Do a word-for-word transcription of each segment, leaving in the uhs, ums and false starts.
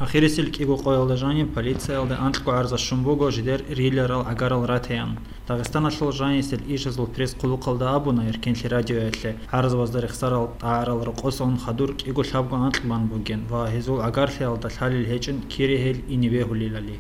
Ахирисел кӀиго къоялда жаниб полициялда анкьго гӀарза щун буго жидер рилерал гӀагарал ратаян. Дагъистаналъул жанисел ишазул пресс-хъулухъалда абуна Эркенлъи радиоялъе гӀарзабазда рехсарал тӀагӀарал рокъосон хадур кӀиго лъабго анкь бан бугин ва гьезул гӀагарлъиялда лъалел гьечӀин кире гьел ине бегьулелали.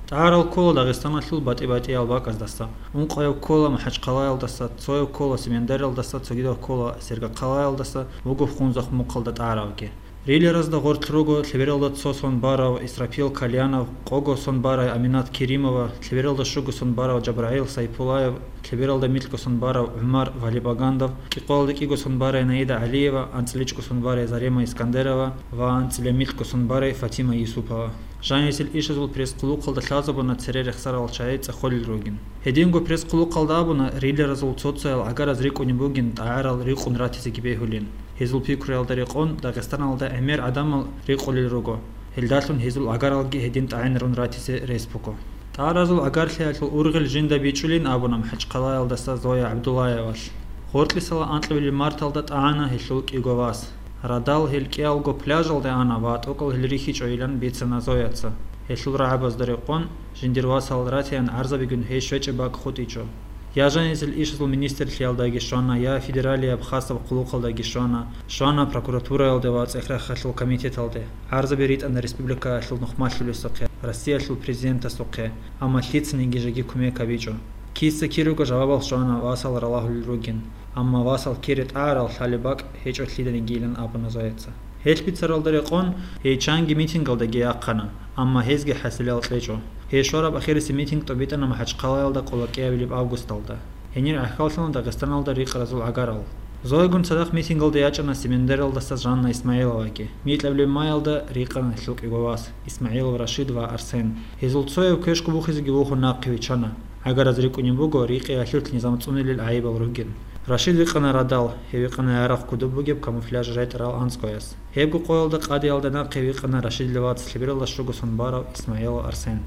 ТӀагӀарал ккола Дагъистаналъул батӀи-батӀиял бакӀаздаса, ункъояб ккола МахӀачхъалаялдаса, цояб ккола Семендариялдаса, цогидаб ккола Сергокъалаялдаса, буго Хунзахъ мухъалда тӀагӀаравги. Рилеразда гъорлъ руго лъебералда цо сон барав Исрапил Кальянов, къого сон барай Аминат Керимова, лъебералда щуго сон барав ЖабрагӀил Сайпулаев, лъебералда микьго сон барав ГӀумар Валибагандов, кӀикъоялда кӀиго сон барай Наида ГӀалиева, анцӀила чӀуго сон барай Зарема Искандерова ва анцӀила микьго сон барай Фатима Юсупова. Жанисел ишазул пресс-хъулухъалда лъазабуна цере рехсарал чагӀи цӀехолел ругин. Гьединго пресс-хъулухъалда абуна, рилеразул цо-цоял гӀагараз рикӀкӀунеб бугин тӀагӀарал рикъун ратизеги бегьулин. Гьезул пикруялда рекъон Дагъистаналда гӀемер гӀадамал рикъулел руго, гьелдалъун гьезул гӀагаралги гьедин тӀагӀинарун ратизе рес буго. ТӀагӀаразул гӀагарлъиялъул ургъел жинда бичӀчӀулин абуна МахӀачхъалаялдаса Зоя ГӀабдуллаевалъ. Гъоркьисала анкьабилеб марталда тӀагӀана гьелъул кӀиго вас. Радал гьел кӀиялго пляжалде ана ва тӀокӀал гьел рихьичӀойилан бицана Зояца. Гьелъул рагӀабазда рекъон, жиндир васал ратиян гӀарзабигун гьей щвечӀеб бакӀ хутӀичӀо. Я жанисел ишазул министрлъиялдаги щвана, я федералияб хасаб хъулухъалдаги щвана, щвана прокуратураялде ва цӀехрахъалъул комитеталде. ГӀарзаби ритӀана республикаялъул нухмалъулесухъе, Россиялъул президентасухъе, амма лъицаниги жеги кумек гьабичӀо. Киса-кируго жавабал щвана васал ралагьулел ругин, амма васал кире тӀагӀарал лъалеб бакӀ гьечӀо лъиданигийилан абуна Зояца. Гьелъ бицаралда рекъон, гьей чанги митингалдаги яхъана, амма гьезги хӀасилал кьечӀо. Гьей щвараб ахирисеб митинг тӀобитӀана МахӀачхъалаялда къоло кӀиабилеб августалда. Гьенир гӀахьаллъана Дагъистаналда рикъаразул гӀагарал. Зоягун цадахъ митингалде ячӀана Семендариялдаса Жанна Исмагьиловаги. Микьабилеб майялда рикъана гьелъул кӀиго вас, Исмагьилов Рашид ва Арсен. Гьезул цояв квешго вухизеги вухун нахъе вичана. ГӀагараз рикӀкӀунеб буго рикъиялъулъ низам цӀунилел гӀайибал ругин. Рашид викъана радал, гьев викъана ярагъ кодоб бугеб камуфляж райтӀарал анцӀгояс. Гьебго къоялда къадиялда нахъе викъана Рашидил вац лъебералда щуго сон барав Исмагьилов Арсен.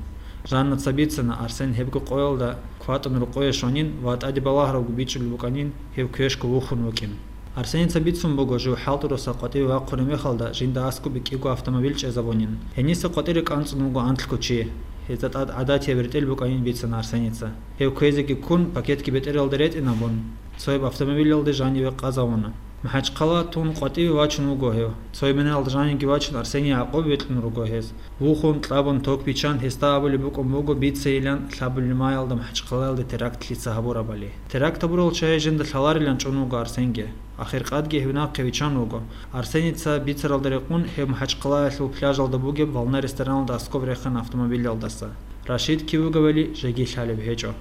Жаннаца бицана, Арсен гьебго къоялда кватӀун рокъое щванин ва тӀаде балагьаравго бичӀчӀулеб букӀанин, гьев квешго вухун вукӀин. Арсеница бицун буго, жив ХӀалтӀуроса къватӀиве вахъунеб мехалда жинда аскӀобе кӀиго автомобиль чӀезабунин. Гьениса къватӀире кӀанцӀун вуго анлъго чи. Гьезда тӀад гӀадатияб ретӀел букӀанин бицана Арсеница. Гьев квезеги ккун, пакетги бетӀералда ретӀинабун, цояб автомобилалде жаниве къазавуна. МахӀачхъала тун къватӀиве вачун вуго гьев. Цояб минералда жанивги вачун Арсений гӀакъуб бикьун руго гьез. Вухун, кьабун, ток биччан, гьесда абулеб букӀун буго бицейилан лъабабилеб майялда МахӀачхъалаялде теракт лъица гьабурабали. Теракт гьабурал чагӀи жинда лъаларилан чӀун вуго Арсенги. Ахиркъадги гьев нахъе виччан вуго. Арсеница бицаралда рекъун гьев МахӀачхъалаялъул пляжалда бугеб «Волна» рестораналда аскӀоб рехана автомобилялдаса. Рашид кив вугевали жеги лъалеб гьечӀо.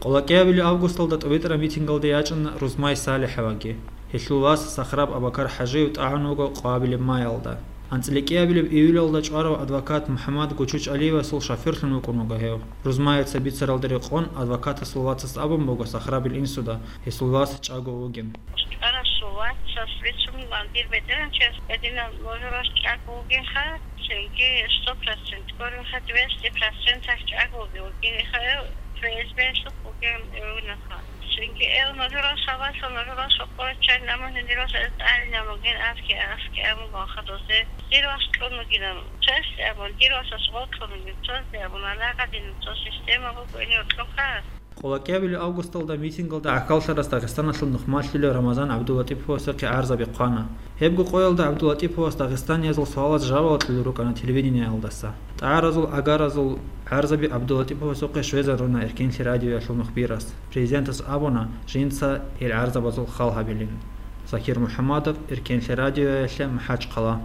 Къоло кӀиабилеб августалда тӀобитӀараб митингалде ячӀана Рузмай СалихӀоваги. Гьелъул вас Сахраб Абакар-ХӀажиев тӀагӀун вуго къоабилеб майялда. АнцӀила кӀиабилеб июлалда чӀварав адвокат МухӀаммад ГучучӀалиевасул шоферлъун вукӀун вуго гьев. Рузмаевца бицаралда рекъон адвокатасул вацас абун буго Сахрабил инсуда, гьесул вас чӀаго вугин. ЧӀварасул вацас бицун, дир бетӀергьанчияс гьединал нужерас чӀаго вугинха, цинги сто процент, гуринха, двести процентах чӀаго вугин, вугинха, ФСБ-лъухъ вугин, вугинха. Цинги эл нужерас гьабалъул нужерас рокъове чӀвай, амма гьединал эл тӀадинаб бугин, аски, аски абун бахъа дозе. Дир вас кьун вугинан, цоясде абун, дир васас гъоркьун вугин, цоясде абун, алагъадин, цо система буго, гьенив кьунха. Къоло кӀиабилеб августалда митингалда гӀахьаллъарас Дагъистаналъул нухмалъулев Рамазан ГӀабдулатӀиповасухъе гӀарзаби хъвана. Гьебго къоялда ГӀабдулатӀиповас дагъистаниязул суалаз жавабал кьолел рукӀана телевидениялдаса. ТӀагӀаразул гӀагаразул гӀарзаби ГӀабдулатӀиповасухъе щвезаруна Эркенлъи радиоялъул мухбирас. Президентас абуна жинца гьел гӀарзабазул хал гьабилин. Закир МухӀаммадов, Эркенлъи радиоялъе, МахӀачхъала.